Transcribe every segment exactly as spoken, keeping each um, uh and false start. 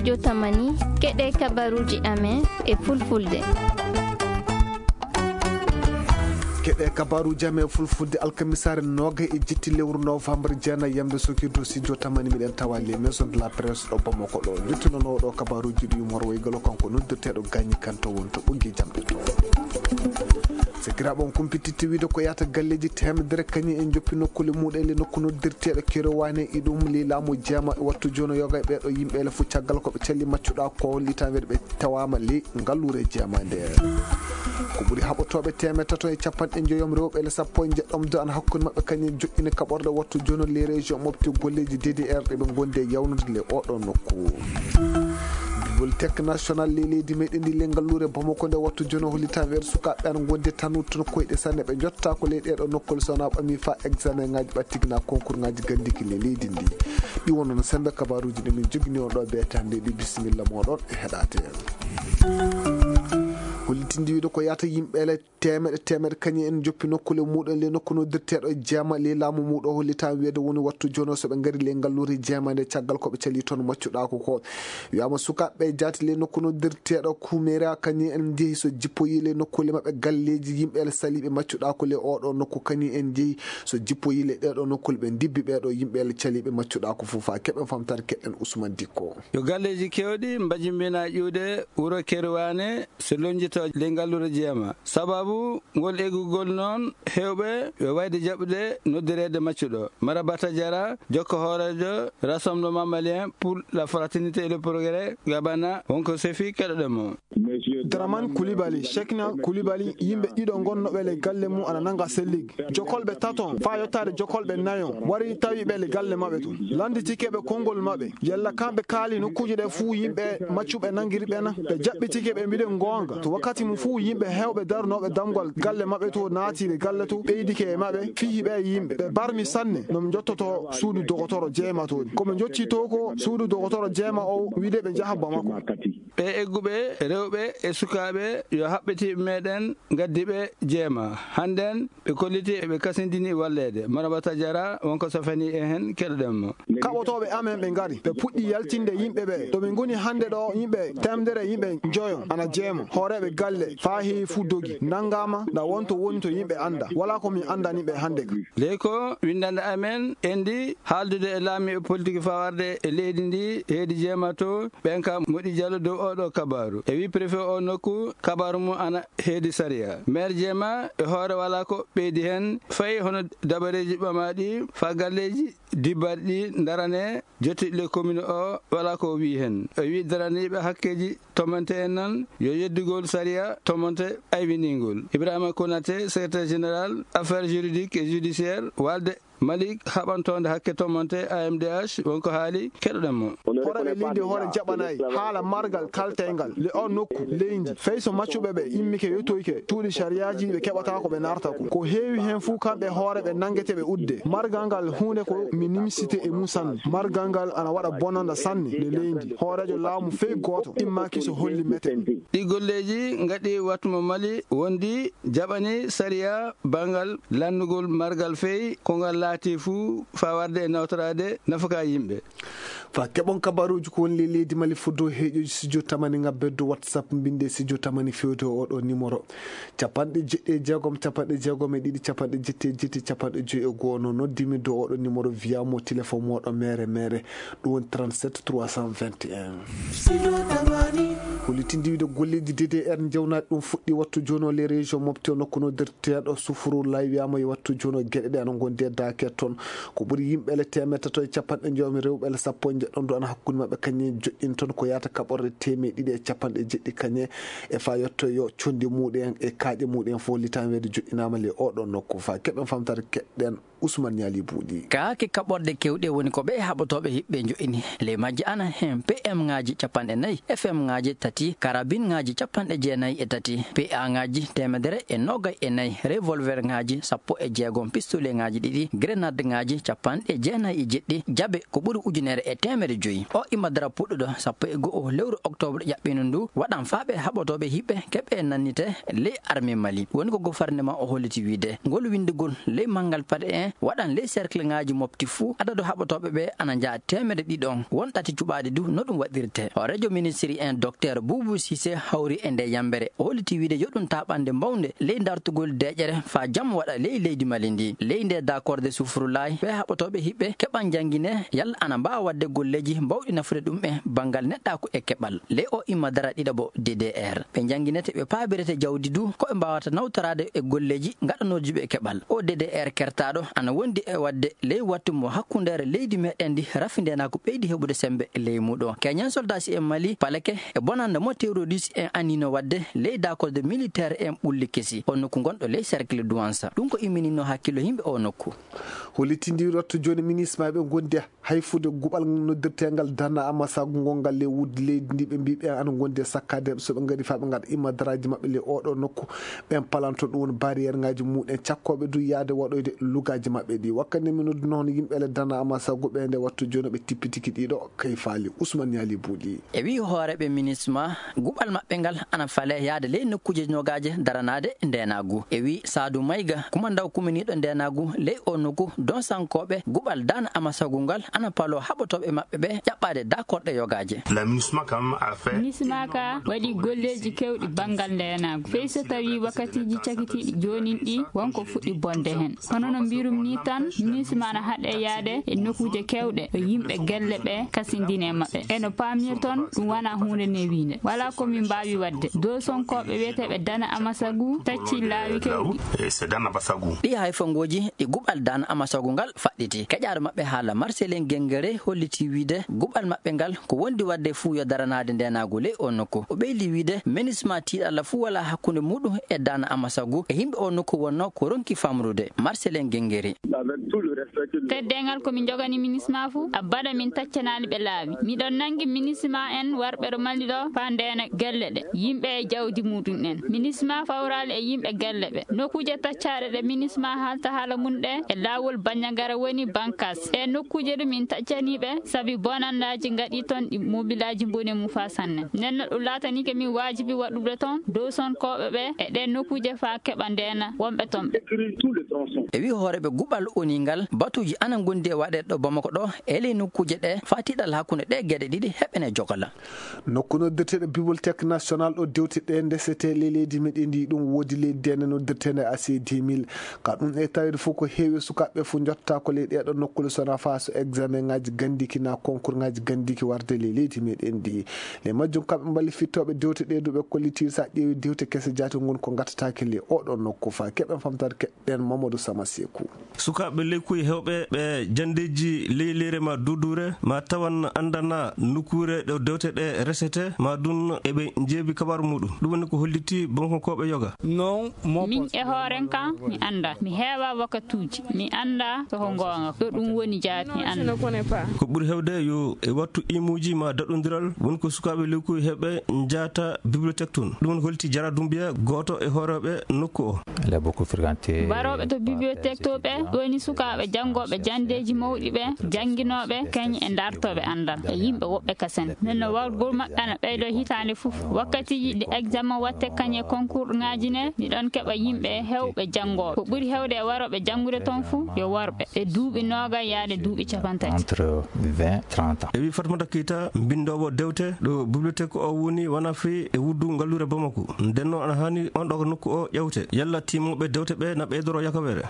Jotamani, keɗe kabaruuji amen e fulfulde. Keɗe kabaruuji amen e fulfulde alkamisaare noogay e jetti lewru novembre jeenay yamde sokirdo si jotamani miɗen tawa les maisons de la presse ɗo Bamako ɗo. Jottinono ɗo kabaruuji ɗi Umar Waygalo kanko noddirteeɗo Gañi Kanto wonto ɓoggi jamɗe to. Sakiraaɓe on kumpititti wiide ko yahata galleeji teemedere kañum en joppi nokkuule muɗen le nokku noddirteeɗo Kerowaane e ɗum le laamu jeema e wattu jooni yoga e ɓeeɗo yimɓe le fof caggal ko ɓe calli maccuɗa ko litan weɗe ɓe tawaama le ngalluure jeema nde. Ko ɓuri haɓotooɓe teemeɗe tato e capanɗe njoyom rewɓe le sappo e njeɗɗom do ana hakkunde maɓɓe kañum joɗɗini kaɓorɗe wattu jooni le région mofti golleeji D D R ɗe ɓe ngondi e yawnude le oɗo nokku. Bibliothèque nationale le leydi meɗen ndi le ngalluure Bamako nde wattu jooni hollitan weɗe sukaaɓe ana ngondi tan wuttuno koyɗe sanne ɓe jotta ko ley ɗeɗo nokkol sona ɓami fa examen ngaji ɓattigina concours ngaji gandiki le leydi ndi. Ɗi wonno no sembe kabaruuji ɗi min jogini on ɗo beetande ɗi bisimilla moɗon e heɗate. Hollitindi wiide ko yahata yimɓe le teemeɗe teemeɗe kañum en joppi nokkuule muɗen le nokku noddirteeɗo jeema le laamu muɗo hollitan weede woni wattu jono so ɓe ngari le ngalluure jeema nde caggal ko ɓe cali toon maccuɗa ko ko wiyama sukaaɓe jaati le nokku noddirteeɗo kumera kañum en jeehi so jippoyi le nokkuule maɓɓe galleeji yimɓe le saliɓe maccuɗa ko le oɗo nokku kañum en jeehi so jippoyi le ɗeɗo nokkuule ɓe ndibbi ɓeɗo yimɓe le caliɓe maccuɗa ko fof fa keɓen famtare keɗen Ousmane Dikko. Yo galleeji kewɗi mbajimbina ƴuude wuro Kerowaane so lonjito le ngalluure jeema. Sababu ngol eggugol noon heewɓe yo wayde jaɓude noddireede maccuɗo. Marabata Jara, jokko hooreejo Rassemblement Malien pour la Fraternité et le Progrès, Gabana, wonko sefi keɗoɗen mo. Draman Koulibaly, Cheikhna Koulibaly, yimɓe ɗiɗo ngonnoɓe le galle mum ana nanga sellig. Jokolɓe taton, faa yottaade jokolɓe nayon, wari tawi ɓe le galle maɓɓe tun. Lannditike ɓe konngol maɓɓe. Yalla kamɓe kaali nokkuuje ɗe fuu yimɓe maccuɓe nanngiri ɓe na? Ɓe jaɓɓitike ɓe mbiɗen goonga. To wakkati mum fuu yimɓe heewɓe darnooɓe damgal galle maɓɓe to naati le galle to ɓeydike e maɓɓe, fihi ɓe yimɓe. Ɓe barmi sanne no ɓe njottoto suudu dogotoro jeema toon. Ko ɓe njottii to ko suudu dogotoro jeema o wiide ɓe njaha Bamako. Ɓe egguɓe rewɓe e sukaaɓe yo haɓɓitiiɓe meɗen ngaddi ɓe jeema. Hannden ɓe kolliti eɓe kasindini walleede. Marabata Jara wonko safani e heen keɗoɗen mo. Kaɓotooɓe amen ɓe ngari, ɓe puɗɗi yaltinde yimɓe ɓe. To ɓe ngoni hannde ɗo yimɓe teemedere yimɓe njoyo ana jeema. Hooreeɓe galle faa heewi fuu dogi, nanngaama na wonto woni to yimɓe annda. Walaa ko min anndani ɓe hannde ka. Ley ko winndannde amen endi haaldude e laamiiɓe politik faa warde e leydi ndi heedi jeema to ɓen ka moɗi jalo dow oɗo kabaaru. E wi préfet o nokku kabaaru mum ana heedi sariya. Maire jeema e hoore walaa ko ɓeydi heen fayi hono dabareeji ɓamaaɗi faa galleeji dibbarɗi darane jotti le commune o walaa ko wii heen. E wi daraniiɓe hakkeeji tomonte en nan yo yeddugol sariya tomonte aywiningol. Ibrahima Konaté, secrétaire général affaires juridiques et judiciaires walde Malik haɓantoonde hakke tomonte A M D H wonko haali keɗoɗen mo. Horeeɓe leydi hoore jaɓanayi haala margal kalteyngal le on nokku leydi fay so maccuɓe ɓe immike yettoyke cuuɗi sariyaaji ɓe keɓata ko ɓe narta ko. Ko heewi heen fuu kamɓe hoore ɓe nanngeteɓe udde. Margal ngal huunde ko mi nimsite e mum sanne. Margal ngal ana waɗa bonanda sanne le leydi. Hooreejo laamu fey gooto immaaki so holli meten. Ɗi golleeji ngaɗi wattu mo Mali wondi jaɓani sariya banngal lanndugol margal fey ko ngal laati fuu faa warde e nawtoraade nafaka yimɓe. Fa keɓon kabaruuji ko woni le leydi Mali foddo heeƴoji studio tamani ngabbe do WhatsApp mbinde studio tamani fewde oɗo numéro capanɗe jeɗɗi e jeegom capanɗe jeegom e ɗiɗi capanɗe jetti e jetti capanɗe joyi e goo no noddimi do oɗo numéro via mo téléphone moɗo mere mere ɗum woni trente-sept trois cent vingt et un. Hollitindiwde golleeji D D R njewnaade ɗum fuɗɗi wattu jooni o les régions mofti o nokku nodirteeɗo sufuru lay wiyama yo wattu jooni o geɗe ɗe ana ngondi e daake toon ko ɓuri yimɓe ele teemeɗe tato e capanɗe njoom rewɓe ele sappo e njeɗɗon do ana hakkunde maɓɓe kañe joɗɗin toon ko yaata kaɓorɗe teemeɗe ɗiɗi e capanɗe jeɗɗi kañe e fa yetto yo condi muɗen e kaaƴe muɗen fof litan weede joɗɗinama le oɗo nokku fa keɓen famtare keɗɗen Ousmane Niali Buuɗi. Kaake kaɓorɗe kewɗe woni ko ɓe haɓotooɓe hiɓɓe njo'ini. Ley majje ana heen P M ŋaaji capanɗe nayi, F M ŋaaji Ti karabinŋaaji capanɗe jeenayi e tati, P A ŋaaji teemedere e noogay e nayi, revolverŋaaji sappo e jeegom, pistoleŋaaji ɗiɗi, grenadŋaaji capanɗe jeenayi e jeɗɗi, jabe ko ɓuri ujunere e teemedde joyi. O imma dara puɗɗuɗo sappo e go'o lewru oktoobre ƴaɓɓiino ndu, waɗan faaɓe haɓotooɓe hiɓɓe keɓe nannite ley armée Mali. Woni ko gofarnema o holliti wiide, ngol winndugol ley manngal paɗe en waɗan ley cercleŋaaji mofti fuu, adadu haɓotooɓe ɓe ana njaha teemedde ɗiɗon, won ɗati cuɓaaɗi du no ɗum waɗirte. Hooreejo ministiri en Docteur Boubou Cissé hawri e nde yambere. O holliti wiide yo ɗum taaɓannde mawnde ley dartugol deeƴere faa jam waɗa ley leydi Mali ndi. Ley nde dakorde sufrulaay, ɓe haɓotooɓe hiɓɓe keɓan janngine yalla ana mbaawa waɗde golleeji mbawɗi nafude ɗum e banngal neɗɗaaku e keɓal. Ley o imma dara ɗiɗaɓo D D R. Ɓe njannginete, ɓe paabirete jawdi du ko ɓe mbaawata nawtoraade e golleeji ngaɗanooji ɓe keɓal. O D D R kertaaɗo ana wondi e waɗde ley wattu mo hakkundeere leydi meɗen ndi rafi ndeenaaku ɓeydi heɓude semmbe ley muuɗo. Keñan soldaaji en Mali paleke e bonannde mo terroriste en anniino waɗde ley dakorde militaire en ɓulli kesi o nokku gonɗo ley cercle Douansa. Ɗum ko immininno hakkillo yimɓe o nokku. Hollitindi wattu jooni minisma ɓe gondi hayfude guɓal noddirteengal dana amasagu ngol ngal ley wuddi leydi ndi ɓe mbi ɓen ana gondi e sakkaade so ɓe ngari faa ɓe ngaɗa imma daraaji maɓɓe ley oɗo nokku. Ɓen palanto ɗum woni barrière ŋaaji muɗen cakkooɓe du yaade waɗoyde lugaaji maɓɓe ɗi. Wakkati nde mi nodduno hono yimɓe le dana amasagu ɓe nde wattu jooni ɓe tippitiki ɗiɗo kay faali Ousmane Yali Buuɗi. E wii hooreeɓe minisma, guɓal maɓɓe ngal ana fale yaade ley nokkuuje nogaaje daranaade ndeenaagu. E wii Saadu Mayga, kumandaw kuminiiɗo ndeenaagu ley o nokku, donsankooɓe guɓal dana amasagu ngal ana paloo haɓotooɓe maɓɓe ɓe ƴaɓɓaade dakorɗe yogaaje. La minisma kam a fait minisma ka waɗi golleeji kewɗi banngal ndeenaagu. Fey so tawii wakkatiiji cakitiiɗi joonin ɗi wonko fuɗɗi bonde heen. Hono no mbirum ni tan, minisma ana haɗe yaade e nokkuuje kewɗe, e yimɓe gelle ɓe kasindine maɓɓe. E no paamirton, ɗum wona huunde newiinde. Wala ko min mbaawi waɗde. Dow sonkooɓe wiyeteeɓe dana amasagu tacci laawi kewɗi. E se dana basagu. Ɗi hayfangooji ɗi guɓal dana amasagu ngal faɗɗiti. Keƴaaro maɓɓe haala Marcelin Gengere holliti wiide guɓal maɓɓe ngal ko wondi waɗde fuu yo daranaade ndeenaagu ley o nokku. O ɓeydi wiide minisma tiiɗalla fuu wala hakkunde muɗum e dana amasagu e yimɓe o nokku wonno ko ronki famrude. Marcelin Gengere. Teddeengal ko min njogani minisma fuu, abada min taccanaali ɓe laawi. Miɗon nangi minisma en warɓe ɗo Mali ɗo faa ndeena gelle ɗe, yimɓe e jawdi muɗum en. Minisma fawraali e yimɓe gelle ɓe. Nokkuuje taccaaɗe ɗe minisma haalta haala mum ɗe e laawol Banjagara woni Bankas. Ɗe nokkuuje ɗum min taccanii ɓe sabi bonannaaji ngaɗii ton ɗi mobilaaji mbone mum faa sanne. Nden no ɗum laatanike min waajibi waɗude ton dow sonkooɓe ɓe e ɗe nokkuuje faa keɓa ndeena wonɓe ton ɓe. E wii hooreeɓe guɓal O N U ngal, batuuji ana ngondi e waɗeede ɗo Bamako ɗo e ley nokkuuje ɗe faa tiiɗalla hakkunde ɗe geɗe ɗiɗi heɓene jogala. Nokku noddirteeɗo Bibliothèque Nationale ɗo dewte ɗe ndesetee ley leydi meɗen ndi, ɗum woodi ley dene noddirteende A C deux mille. Ka ɗum e taweede fof ko heewi sukaaɓe fof njottaako ley ɗeeɗo nokkuule so wonaa faa so examen ŋaaji ganndiki naa concours ŋaaji ganndiki warde ley leydi meɗen ndi. Ley majjum kamɓe mballifitooɓe dewte ɗe du ɓe kolliti so a ƴeewi dewte kese jaati ngon ko ngattataake ley oɗo nokku faa keɓen famtaade keɓɗen Mamadou Sama Seku. Sukaaɓe leykuuji heewɓe ɓe janndeeji ley leyre ma duuduure ma tawan anndana nokkuure ɗo dewte ɗe resete ma ɗum eɓe njeebi kabaaru muɗum. Ɗum woni ko holliti Bankonkooɓe yoga. Non, mon Min e hooren kan mi annda. Mi heewa wakatuuji. Mi annda so ko ngoonga. Ɗo ɗum woni jaati mi annda. Ko ɓuri heewde yo e wattu imuuji ma daɗondiral woni ko sukaaɓe leykuuji heewɓe njaata bibliothèque tun. Ɗum woni holliti Jara Dumbiya, gooto e hooreeɓe nokku o. Barooɓe to bibliothèque to ɓe woni sukaaɓe janngooɓe janndeeji mawɗi ɓe, jannginooɓe, kañ e dartooɓe anndal e yimɓe woɓɓe kasen. Nden no wargol maɓɓe ana ɓeydoo hitaande fof. Wakkatiiji ɗi examen watte kañ e concours ŋaaji ne, miɗon keɓa yimɓe heewɓe janngooɓe. Ko ɓuri heewde e warooɓe janngude toon fof yo worɓe, ɓe duuɓi noogay yaade duuɓi capantati. Entre vingt, trente ans. E wi Fatmata Keita, mbinndoowo dewte ɗo bibliothèque o woni, wona fii e wuddu ngalluure Bamako. Nden noon ana haani on ɗo nokku o ƴewte. Yalla tiimooɓe dewte ɓe na ɓeydoro yakaweere.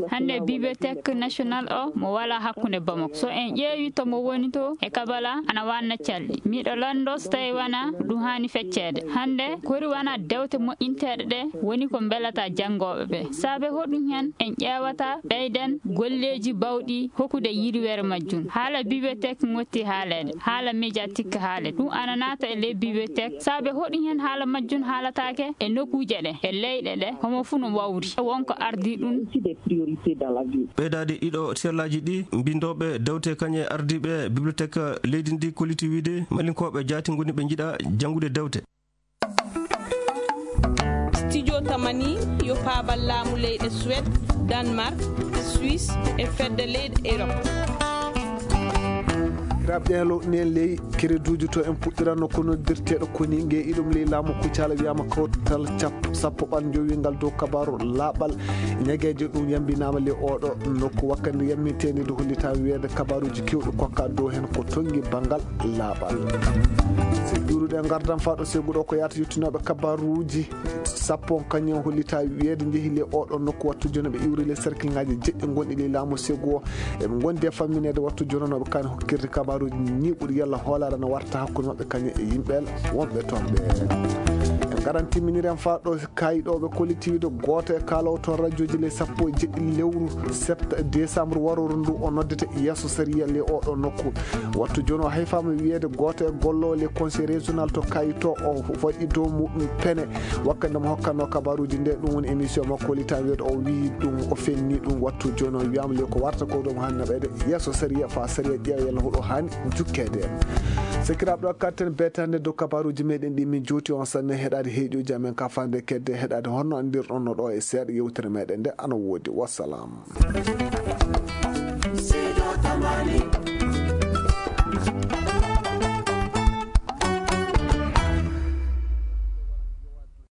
Hannde bibliothèque national o mo wala hakkunde Bamako. So en ƴeewi to mo woni to e Kabala ana wanna calɗi. Miɗo lanndo so tawi wona ɗum haani fecceede. Hannde kori wona dewte moƴƴinteeɗe ɗe woni ko mbelata janngooɓe ɓe. Saabe hoɗum hen en ƴeewata ɓeyden golleeji bawɗi hokkude yirwere majjum. Haala bibliothèque ngotti haaleede, haala médiatique haaleede. Ɗum ana naata e ley bibliothèque. Saabe hoɗum hen haala majjum haalataake e nokkuuje ɗe, e leyɗe ɗe, homo fuu no wawri. Wonko ardii ɗum. Priorité dans la vie. Ɓeydaade ɗiɗo sellaaji ɗi, mbinndooɓe dewte kañe ardiiɓe bibliothèque leydi ndi kolliti wiide malinkooɓe jaati ngoni ɓe njiɗa janngude dewte. Studio Tamani yo paabal laamu leyɗe Suède, Danemark, Suisse e fedde leyɗe Europe. Hiraaɓe, ɗen lowɗi en ley kereduuji to en puɗɗiranno ko noddirteeɗo koni nge iɗum ley laamu Kucala wiyama kawtal cap-, sappo ɓal njowingal dow kabaaru laaɓal ñageejo ɗum yambinaama ley oɗo nokku wakkati yamminteende nde hollita wiyeede kabaaruuji kewɗi kokka dow hen ko tongi banngal laaɓal. Se ƴuuruɗen ngardan faa ɗo seeguɗo ko yaata yottinooɓe kabaaruuji sappo on kañum hollita wiyeede njehi ley oɗo nokku wattu jooni ɓe iwri ley cercle ŋaaji jeɗɗi gonɗi ley laamu seegu o. Eɓe ngondi e fammineede wattu jonanooɓe kan hokkirde kabaaruuji ñiiɓuɗi yalla hoolaare na warta hakkunde maɓɓe kañum e yimɓe wonɓe toon ɓe. En ngaran timminiren faa ɗo kayɗooɓe kollitiiwde gooto e kaaloowo toon rajooji ley sappo e jeɗɗi lewru sept décembre warooru ndu o noddete yeeso sariya ley oɗo nokku. Wattu jooni o hayfaama wiyeede gooto e golloowo ley conseil régional to kayito o waɗi dow muɗum pene. Wakkati nde mo hokkatnoo kabaaruuji nde, ɗum woni émission makko, li tawi o wii ɗum, o fenni ɗum. Wattu jooni o wiyaama le ko warta ko ɗum haani naɓeede yeeso sariya, faa sariya ƴeewa yalla hoɗo haani jukkeede. Sakiraaɓe, ɗo katten beetande dow kabaaruuji meɗen ɗi min juuti on sanne heɗaade heeƴuuji amen ka faande kedde heɗaade honno anndirɗon no ɗo e seeɗa yewtere meɗen nde ana woodi. Wassalam.